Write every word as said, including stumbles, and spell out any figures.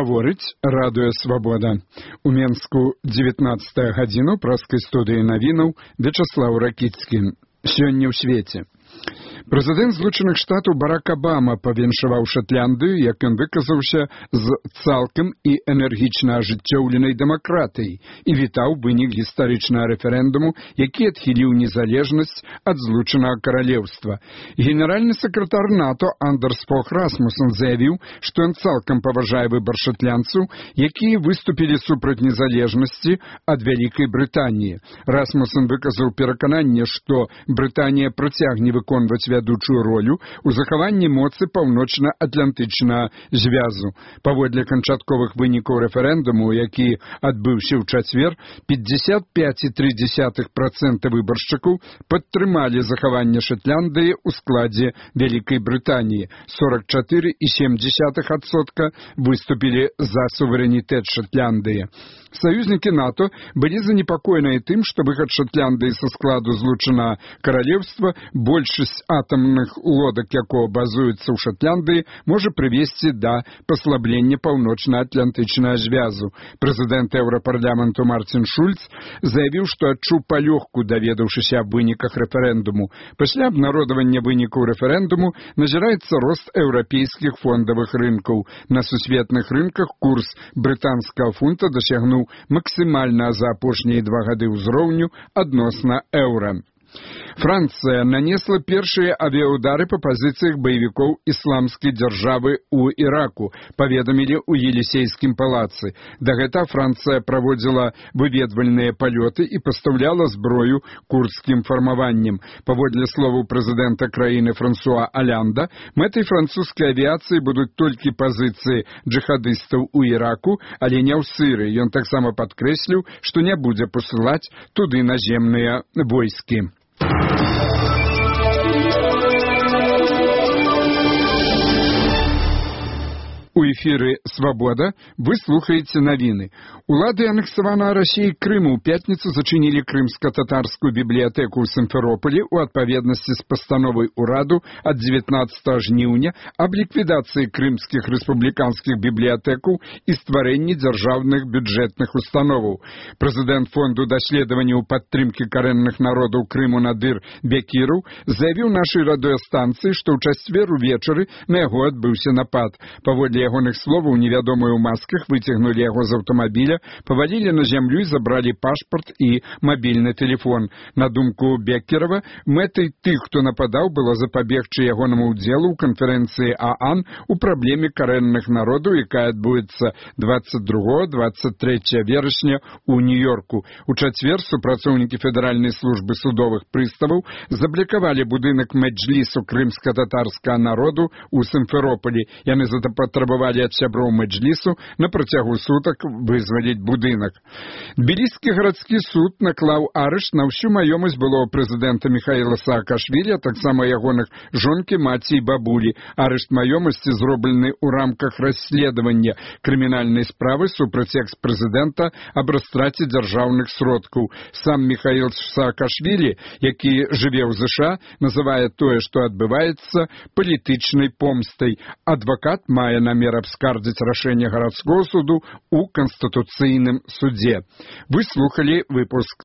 Гаворыць радыё «Свабода». У Менску дзевятнаццатая гадзіна праскай студыі навінаў Вячаслаў Ракіцкі. Сёння ў свеце. Прэзідэнт Злучаных Штатаў Барак Абама павіншаваў Шатландыю, як ён выказаўся, з цалкам і энергічна ажыццёўленай дэмакратыяй і вітаў вынік гістарычнага рэферэндуму, які адхіліў незалежнасць ад Злучанага Каралеўства. Генеральны сакратар НАТО Андерс Фог Расмуссен заявіў, што ён цалкам паважае выбар шатландцаў, якія выступілі супраць незалежнасці ад Вялікай Брытаніі. Расмуссен выказаў перакананне, што Брытанія працягне выконваць вядучую ролю ў захаванні моцы паўночна-атлантычнага звязу. Паводле канчатковых вынікаў рэферэндуму, які адбыўся ў чацвер, пятьдесят пять и три десятых процента выбаршчыкаў падтрымалі захаванне Шатландыі ў складзе Вялікай Брытаніі. сорок четыре и семь десятых процента выступілі за суверэнітэт Шатландыі. Саюзнікі НАТО былі занепакоеныя тым, што выхад Шатландыі са складу Злучанага Каралеўства, большасць атамных лодак якого базуецца ў Шатландыі, можа прывесці да паслаблення паўночна-атлантычнага звязу. Прэзідэнт Еўрапарламенту Мартин Шульц заявіў, што адчуў палёгку, даведаўшыся аб выніках рэферэндуму. Пасля абнародавання вынікаў рэферэндуму назіраецца рост еўрапейскіх фондавых рынкаў. На сусветных рынках курс брытанскага фунта дасягнуў максімальна за апошнія два гады ўзроўню адносна еўра. Францыя нанесла першыя авіяудары па пазіцыях баевікоў ісламскай дзяржавы ў Іраку, паведамілі ў Елісейскім палацы. Дагэтуль Францыя праводзіла выведвальныя палёты і пастаўляла зброю курдскім фармаванням. Паводле словаў прэзідэнта краіны Франсуа Алянда, мэтай французскай авіяцыі будуць толькі пазіцыі джихадыстаў у Іраку, але не ў Сірыі. Ён таксама падкрэсліў, што не будзе пасылаць туды наземныя войскі. У эфіры «Свабода» вы слухаеце навіны. Улады анексаванага Расіяй Крыму ў пятніцу зачынілі крымска-татарскую бібліятэку ў Сімферополі ў адпаведнасці з пастановай ураду ад дзевятнаццатага жніўня аб ліквідацыі крымскіх рэспубліканскіх бібліятэкаў і стварэнні дзяржаўных бюджэтных установаў. Прэзідэнт фонду даследаванняў падтрымкі карэнных народаў Крыму Надыр Бекіраў заявіў нашай радыёстанцыі, што ў чацвер увечары на яго адбыўся напад. Паводле ягоных словаў, невядомыя ў масках выцягнулі яго з аўтамабіля, павалілі на зямлю і забралі пашпарт і мабільны тэлефон. На думку Беккерава, мэтай тых, хто нападаў, было запабегчы ягонаму ўдзелу ў канферэнцыі ААН у праблеме карэнных народаў, якая адбудзецца двадцать другого — двадцать трэцяга верасня ў Нью-Йорку. У чацвер супрацоўнікі федэральнай службы судовых прыставаў заблокавалі будынак мэджлісу крымска-татарскага народу ў Сімферополі. Яны запатрабавалі ад сяброў мэджлісу на працягу сутак вызваліць будынак. Тбіліскі гарадскі суд наклаў арышт на ўсю маёмасць былого прэзідэнта Міхаіла Саакашвілі, а таксама ягоных жонкі, маці і бабулі. Арышт маёмасці зроблены ў рамках расследавання крымінальнай справы супраць экс-прэзідэнта аб растраце дзяржаўных сродкаў. Сам Міхаіл Саакашвілі, які жыве ў ЗША, называе тое, што адбываецца, палітычнай помстай. Адвакат мае намер абскардзіць рашэнне гарадскога суду ў Канстытуцыйным судзе. Вы слухалі выпуск